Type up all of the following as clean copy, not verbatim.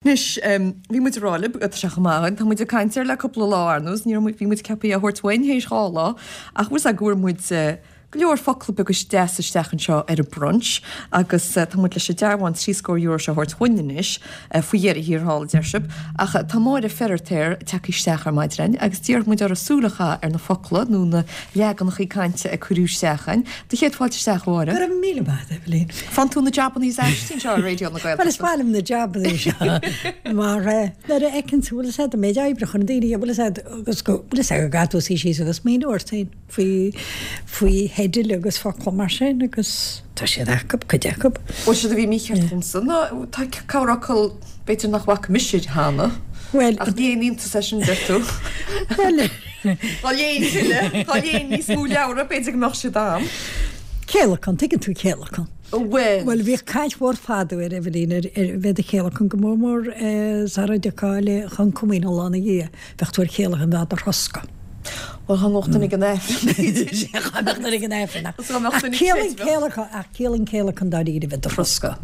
Anois, bhí muid ag rá libh, tá sé chomh maith againn, tá muid ag caint air le cúpla lá ar ndóigh, ní raibh muid, bhí muid ceaptha é a thabhairt uainn théis 2 lá, ach bhfuil 's a'd go bhfuair muid go leor focla beaga deasa isteach anseo ar an brunch agus tá muid leis an dearbhán €30 seo a thabhairt uainn anois, faoi dheireadh thiar thall, a deir sibh. Ach tá Máire Feiritéar tagtha isteach ar maidin agus d'iarr muid uirthi súil a chaitheamh ar na focla nó na leaganachaí cainte a cuireadh isteach againn. Do chéad fáilte isteach, a Mháire. Go raibh míle maith agat, Eibhlín. Faigheann tú na jabannaí is aistí anseo ar Raidió na Gaeltachta. Bhuel, is maith liom na jabannaí seo mar nuair a fheiceann tú, bhfuil 'fhios a'd, an méid oibre a chuireann daoine, bhfuil 'fhios a'd, agus go, bhfuil 'fhios a'd, go gcaithfidh tú suí síos agus smaoineamh ort féin faoi, faoi theidil agus focla mar sin agus tá siad acu, cuid acu. Bhuel, séard a bhí mícheart dhomsa ná tá corrfhocal b'fhéidir nach bhfaca mise cheana. Bhuel. Ach ní haon iontas é sin, deir tú. Bhuel. Dá léinn tuilleadh, dá léinn níos mó leabhra, b'fhéidir go mbeadh siad a'm. Céalacan, tuigeann tú céalacan. Bhuel. Bhuel, bhíodh caint mhór fadó ar Eibhlín ar ar bheith do chéalacan go mór mór sara dtiocfá le chun comaoine an lá ina dhiaidh, bheadh tú ar chéalacan bheadh do throscadh. Bhuel, dá mbeadh duine ag an Aifreann, b'fhéidir. Dá mbeadh duine ag an Aifreann, ach Dá mbeadh duine ag ciallaíonn creideamh. céalacan, ach ciallaíonn céalacan dáiríre bheith do throscadh.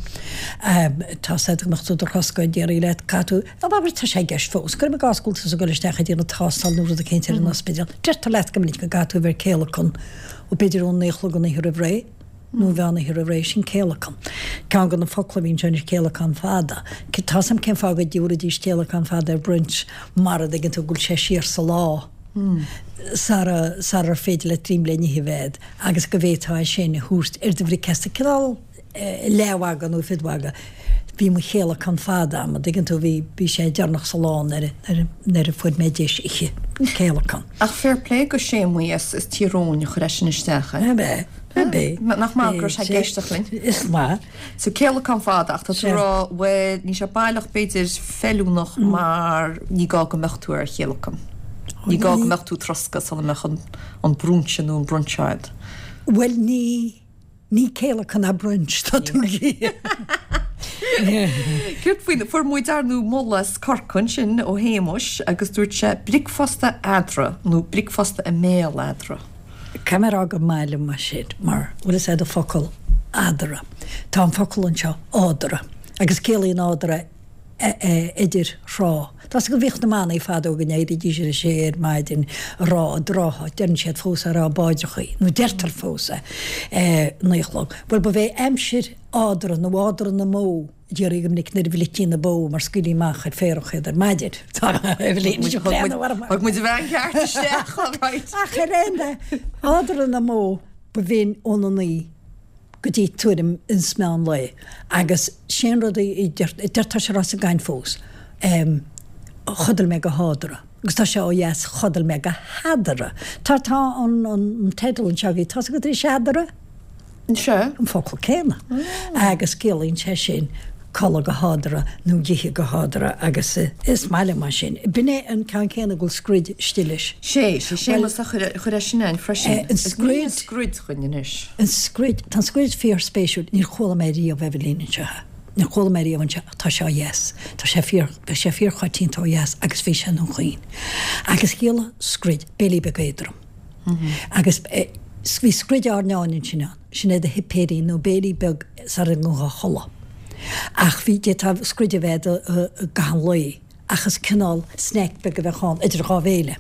Tá 's a'd go mbeadh tú do throscadh, déarfaí leat, caithfidh tú, nó abair tá sé i gceist fós, cuirim i gcás go bhfuil tusa ag dul isteach ag déanamh tástáil nó rud eicínt ar an ospidéal, deirtear leat go minic go gcaithfidh tú a bheith ar céalacan ó b'fhéidir ón naoi a chlog an oíche roimh ré, nó mheán oíche roimh ré, sin céalacan. Ceann de na focla a bhí anseo anois céalacán fada. Tá 's a'm cén fáth go dtabharfaidís céalacán fada ar brunch mara dtuigeann tú go bhfuil sé siar sa lá sara sarar féidir leat dréim le n-ithe a bheith a'd agus go bhféadfá é sin a thabhairt ar do bhricfeasta, cineál leathmhagadh nó fiodmhagadh. Bhí mo chéalacan fada a'm, an dtuigeann tú, bhí, bhí sé deireanach sa lá nuair a, nuair a fuair mé deis ithe. Céalacan. Ach fair play go Séamaí as Tír Eoghain a chuir é sin isteach, eh? Ab ea? Ab ea? Nach maith go raibh sé ag éisteacht linn? Is maith. So céalacán fada ach tá tú ag rá, bhuel, níl sé baileach b'fhéidir feiliúnach mar ní gá go mbeadh tú ar chéalacan. Ní gá go mbeadh tú trosctha sula mbeadh an, an brúinse nó an brunch a'd. Bhuel ní. Ní céalacan ná brunch tá tú Céard faoin, fuair muid ar ndóigh moladh as Corcaigh ansin ó Shéamuis agus dúirt sé bricfeasta eadra nó bricfeasta i mbéal eadra. Caithfidh mé a rá gur maith liom é sin mar bhfuil fhios a'd an focal eadra. Tá an focal anseo eadra agus ciallaíonn eadra idir thráth. Tá 's agat go bhíodh na manaigh fadó go n-éirídís ar a sé ar maidin a rá i dtrátha, deireann siad fós é, a rá báidreachaí, nó deirtear fós é, naoi a chlog. Bhuel, ba bhé aimsir eadra nó eadra na mbó a déarfaí go minic nuair a bhlití na bó mar scaoiltí amach ar féarach iad ar maidin. Tá Eibhlín ag breathnú orm. Thug muid an bhean cheart isteach, all right. Ach ar aon nós, eadra na mbó ba bhinn óna naoi. go dtí tuairim is meán lae agus sé an rud a deir tá sé á rá sa gcaint fós chodail mé go headra agus tá sé ó dheas chodail mé go headra tá tá an an teideal anseo agaibh tá 's agat anois eadra? Sea. An focal céanna agus ciallaíonn sé sin codladh go headra nó ithe go headra agus is maith liom é sin. B'in é an ceann céanna go bhfuil scroid istigh leis. Sé, sé Séamus a chuir é sin ann freisin. An scroid. An scroid dhuinn anois. An scroid, tá an scroid fíor-spéisiúil, níor chuala mé riamh Eibhlín anseo é. Níor chuala mé riamh anseo ach tá sé ó dheas. Tá sé fíor, tá sé fíor-choitianta ó dheas agus bhí sé i nDún Chaoin. Agus chiallaigh scroid, béilí beag éadrom. Agus bhí scroid airneáin ansin ann, sin é do shuipéirín nó béilí beag sara ngabhfá a chodladh. Ach bhí, d'fhéadfá scroid a bheith agat i gcaitheamh an lae ach is cineál snack beag a bheadh ann idir dhá bhéile.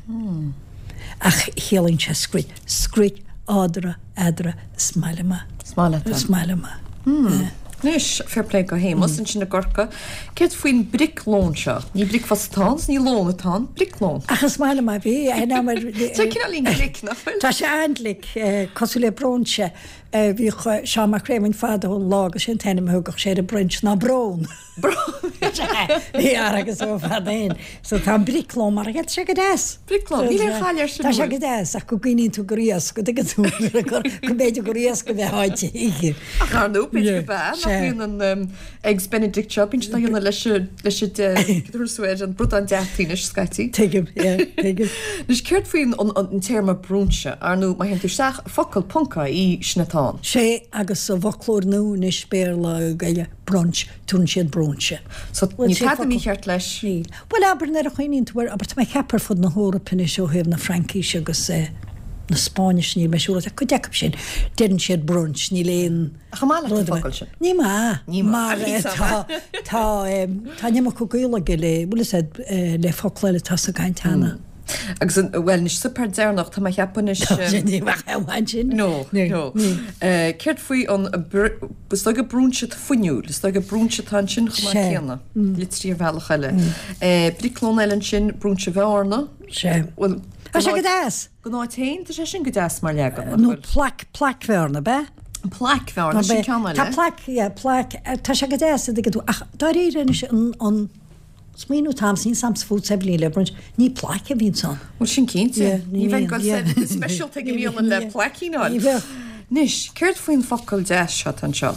Ach chiallaíonn sé scroid, scroid, eadra, eadra, is maith liom é. Is maith leat é. Is maith liom é. Anois, fair play go Shéamus ansin i gCorcaigh. Céard faoin briclón seo? Ní bricfeasta atá ann, is ní lón atá ann, briclón. Ach is maith liom é, bhí, Tá cineáilín glic, nach bhfuil? Tá sé an-glic, cosúil le bróinse. Bhíodh Seán Mac Réamoinn fadó ón Lá agus sé an t-ainm a thugadh sé ar an brunch ná brón. Brón! Bhí fear agus ó fad féin. So tá an briclón mar a tá sé go deas. Briclón, níl aon chaill air sin Tá sé go deas ach go gcuimhníonn tú gur iasc, go dtuigeann tú go mb'fhéidir gur iasc a bheith á ithe. Ach ar ndóigh, b'fhéidir go b'ea, nach mbíonn an Eggs Benedict seo, bíonn siad á dhéanamh leis an, leis an, cad a ar an bradán deataí anois, scaití. Tuigim, yeah, tuigim. Anois, céard faoin an téarma brúinse? Ar ndóigh, má théann tú isteach, focal ponc ie, sin atá ann. Sé, agus sa bhfoclóir nua anois, Béarla, Gaeilge, brunch, Tugann siad brúinse. So, níl tada mícheart leis? Níl. Bhuel, abair, nuair a chuimhníonn tú air, abair, tá mé ag ceapadh ar fud na hEorpa anois ó thaobh na Fraincise agus eh. na Spáinnise, níl mé siúráilte, ach cuid acu sin, deireann siad brunch, níl aon Ach an maith leat an focal sin? Ní maith. Ní maith. Mar tá, tá, tá an iomarca gaol aige le, bhfuil fhios a'd, le focla eile atá sa gcaint cheana. Agus an, bhuel, anois suipéar deireanach, tá mé a cheapadh anois. Tá sé, ní bheadh aon bhaint sin. No, no. Céard faoi an, is dóigh gur brúinse fuinniúil, is dóigh gur brúinse atá ansin chomh maith céanna, litrithe ar bhealach eile. Briclón eile ansin, brúinse Bhearna. Sea. Bhuel, Tá sé go deas! Don áit féin, tá sé sin go deas mar leagan, nach bhfuil? Nó plaic, plaic Bhearna, ab ea? Plaic Bhearna, sin ceann eile. Tá plaic, yeah, plaic, tá sé go deas, an dtuigeann tú, ach dáiríre anois, an, an smaoineamh atá a'msa, níl 's a'msa fút a Eibhlín le brunch, ní plaic a bhíonns ann. Bhuel, sin cinnte. Yeah, Ní ní bheidh bhíonn, goil yeah. speisialta ag an mbialann le plaicín a fháil. Ní bheadh. Anois, céard faoin focal deas seo atá anseo,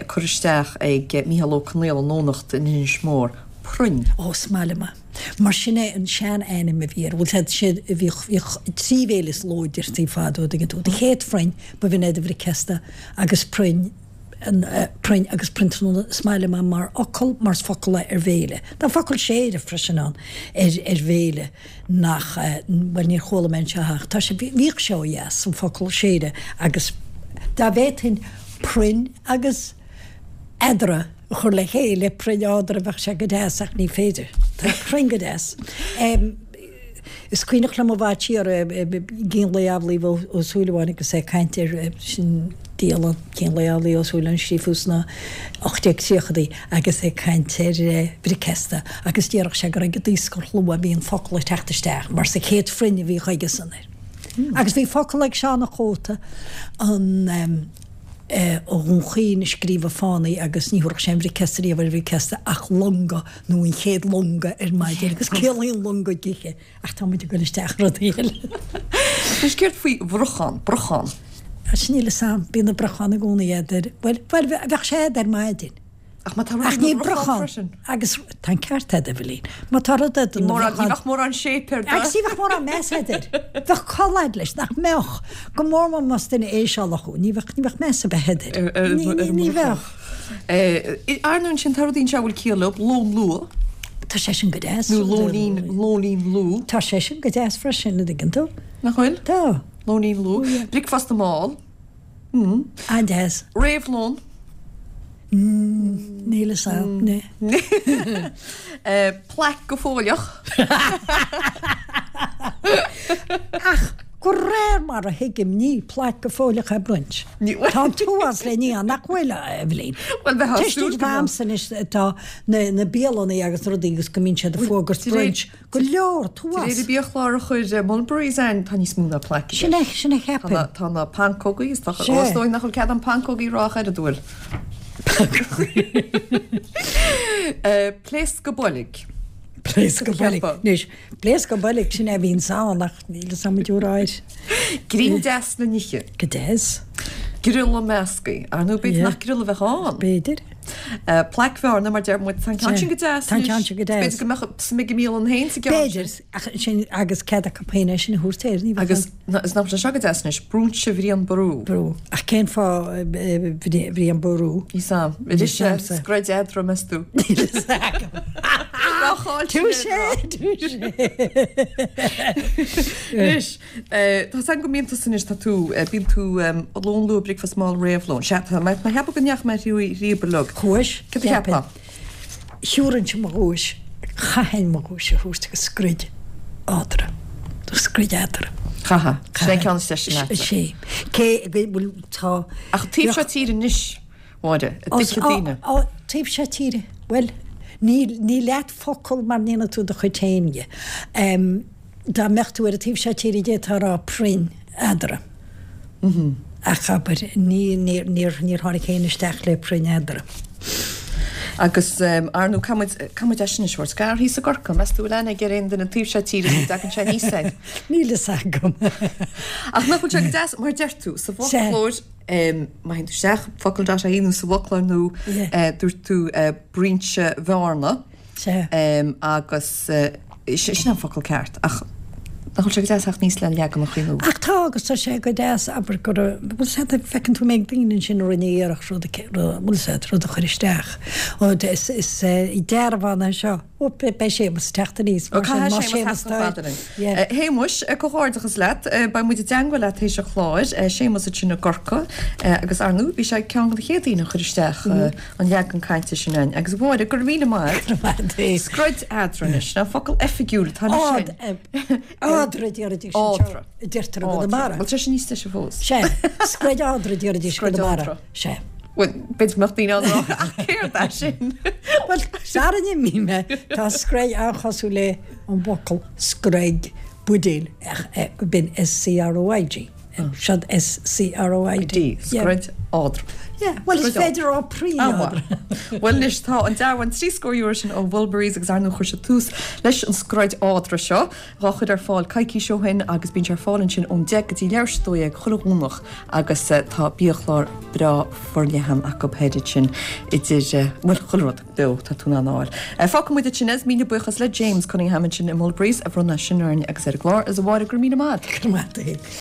curtha isteach ag Mícheál Ó Conaola i nDomhnach in Inis Mór, proinn. Ó, is maith liom é. Mar sin é an sean-ainm a bhí air. Bhuel, sé, bhíodh, bhíodh trí bhéile sa ló a deirtí fadó, an dtuigeann tú. Do chéad phroinn, ba bh'in é do bhricfeasta agus proinn, an, proinn agus proinn tráthnóna. Is maith liom é mar fhocal, mar is focal é ar bhéile. Tá focal séire freisin ann ar, ar bhéile nach, bhuel, níor chuala mé anseo ach tá sé, bhíodh sé ó dheas, an focal séire agus dá bhféadfainn proinn agus eadra, a chur le chéile, proinn eadra, bheadh sé go deas ach ní féidir. Tá proinn go deas. Is cuimhneach liom i bhfad siar, Cín Lae Amhlaoibh Ó Súilleabháin agus é ag caint ar sin dialann Cín Lae Amhlaoibh Ó Súilleabháin scríofa sna 1830idí agus é ag caint ar bhricfeasta agus déarfadh sé gur ag an daoscarshlua a bhí an focal ag teacht isteach mar sa chéad phroinn a bhíodh aigesan air. Agus bhí focal ag Seán a' Chóta an. ó Dhún Chaoin a scríobhadh Fánaí agus ní thabharfadh sé an bhricfeasta riamh ar bhricfeasta ach longa nó an chéad longa ar maidin agus ciallaíonn longa díthe ach tá muid ag dul isteach i rudaí eile. Anois céard faoi bhrochán, brochán? Sea, níl fhios a'm, bíonn na brocháin i gcónaí a'd ar, bhuel, bhuel, bheadh sé a'd ar maidin. Ach má tá rud Ach ina ní bhrochán brochán freisin. agus tá an ceart a'd, a Eibhlín. Má tá rud a'd Ní ina mórán, ní bhrochán. bheadh mórán shape air do. Agus ní bheadh mórán meas a'd air. Bheadh col a'd leis, nach mbeadh? Go mór mór más duine éisealach thú, ní bheadh, ní bheadh meas ar bith a'd air. Ar, ar, Ní, ar ní, an ní mbrochan. bheadh. Eh, ar ndóigh ansin tá rudaí anseo a bhfuil ciall leo, lón luath. Tá sé sin go deas. Nó lóinín, lóinín luath. Tá sé sin go deas freisin, an dtuigeann tú? Nach bhfuil? Tá. Lóinín luath. Bricfeasta mall. An-deas. Réamhlón. Níl fhios a'm. Plaic go fóilleach. Ach de réir mar a thuigim ní plaic go fóilleach é brunch. Tá an t-uafás le ní ann, nach bhfuil, a Eibhlín? Bhuel, bheifeá ag súil Tuiscint go mbeadh. a'msa anois atá na bialanna agus na rudaí agus go mbíonn siad ag fógairt brunch. Go leor, De réir t-uafás. an biachlár a chuir Mulberry's ann, tá níos mó ná plaic i Sin é, gceist. sin a cheapfainn. Tá na, tá na pancógaí is tá, Sea. ó, is dóigh nach bhfuil cead an pancógaí a rá ach oiread, an bhfuil? Pléascadh boilg. Pléascadh boilg. Cheapfá. Anois, pléascadh boilg, sin é a bhíonns ann ach níl fhios a'm an dtiúráir. Greim deas le n-ithe. Go deas. Griolla meascaí. Ar ndóigh, b'fhéidir Yeah. nach griolla a bheadh ann. B'fhéidir. Plaic Bhearna, mar deir muid, tá an ceann sin go deas Tá an anois. ceann sin go deas. B'fhéidir go mbeadh suim ag an mbialann féin sa gceann sin. B'fhéidir, ach sin agus cead acu féin é sin a thabhairt air, ní bheadh Agus an. is nach bhfuil sé seo go deas anois, Brúinse Bhrian Ború. Brú. Ach cén fáth Bhrian Ború? Níl 's a'm. Arís scread eadrom, meas tú? Níl fhios agam. Touché, touché. Anois, Tá 's agam go mbíonn tusa anois, tá tú, bíonn tú lón luath, bricfeasta mall, réamhlón. Sea, tá mé ag ceapadh go ndeachaigh mé thríob uilig. Chuais, Céard a cheapfá? Thiúrfainnse mo ghuais, chaithfinn mo ghuais a thabhairt agus scroid eatarthu, nó scroid eatarthu. Chaithfeá. Sin é an ceann is deise leatsa. Sé. Cé go bhfuil, tá. Ach taobh seo tíre anois, Mháire, a dtuigfidh daoine. Ó, taobh seo tíre, bhuel, ní, ní leat focal mar ndéanann tú do chuid féin dhe. Dá mbeadh tú ar an taobh seo tíre d'fhéadfá a rá proinn eadarthu. Ach abair, ní, níor, níor, níor tháinig féin isteach le proinn eadarthu. Agus, ar ndóigh, caithfidh muid, caithfidh muid é sin a thabhairt. Scar thíos i gCorcaigh, meas tú bhfuil aithne ag ar aon duine an taobh seo tíre go dtagann sé aníos air? Níl fhios agam. Ach nach bhfuil sé go deas, mar deir tú, sa bhfoclóir, má théann tú isteach, focal dot ie nó sa bhfoclóir nó dúirt tú Bruinse Bhearna. Sea. Agus sin an focal ceart, ach. Nach bhfuil sé go deas theacht aníos le leaganacha nua? Ach tá, agus tá sé go deas, abair, go raibh, bhfuil 's a'd, feiceann tú mbeidh daoine ansin a rinne iarracht rud a, bhfuil 's a'd, rud a chur isteach. Ó, is, is dearbhán é seo. Ó, beidh Séamus ag teacht aníos, mar sin, má Séamus tá. A Shéamuis, comhghairdeachas leat. Beidh muid i dteangmháil leat théis an chláir. Séamus ansin i gCorcaigh agus ar ndóigh bhí sé ceann de na chéad daoine a chuir isteach an leagan cainte sin againn. Agus a Mháire, go raibh míle maith agat. Scroid eadra anois, ná focal oifigiúil atá anois sin. Eadra a déarfaidís anseo, a deirtear i gConamara. Bhuel, tá sé níos deise fós. Sea, scroid eadra a déarfaidís i gConamara. Sea. Bhuel, b'fhéidir go mbeadh daoine ann a rá, ach céard é sin? Bhuel, sara n-imí mé, tá scroid an-chosúil le an bhfocal screig, buidéal, ach b'in S-C-R-O-I-G. Seod S-C-R-O-I-D. Scroid eadra. Yeah, bhuel is féidir a rá croí eadra. Bhuel anois tá an dearbhán 30 euro sin ó Mhulberry's agus ar ndóigh chuir siad tús leis an scroid eadra seo dhá chur ar fáil coicís ó shin agus bíonn sé ar fáil ansin ón 10 go dtí leathuair tar éis 12 chuile Dhomhnach agus tá biachlár breá forleathan acu thoir ansin idir, bhuel chuile rud beo tá tú in ann a fháil. Fágfaidh muid ansin é is míle buíochas le James Cunningham ansin i Mulberry's a bhronn é sin orainn agus ar an gclár is a Mháire go raibh míle maith agat. Go raibh maith agat.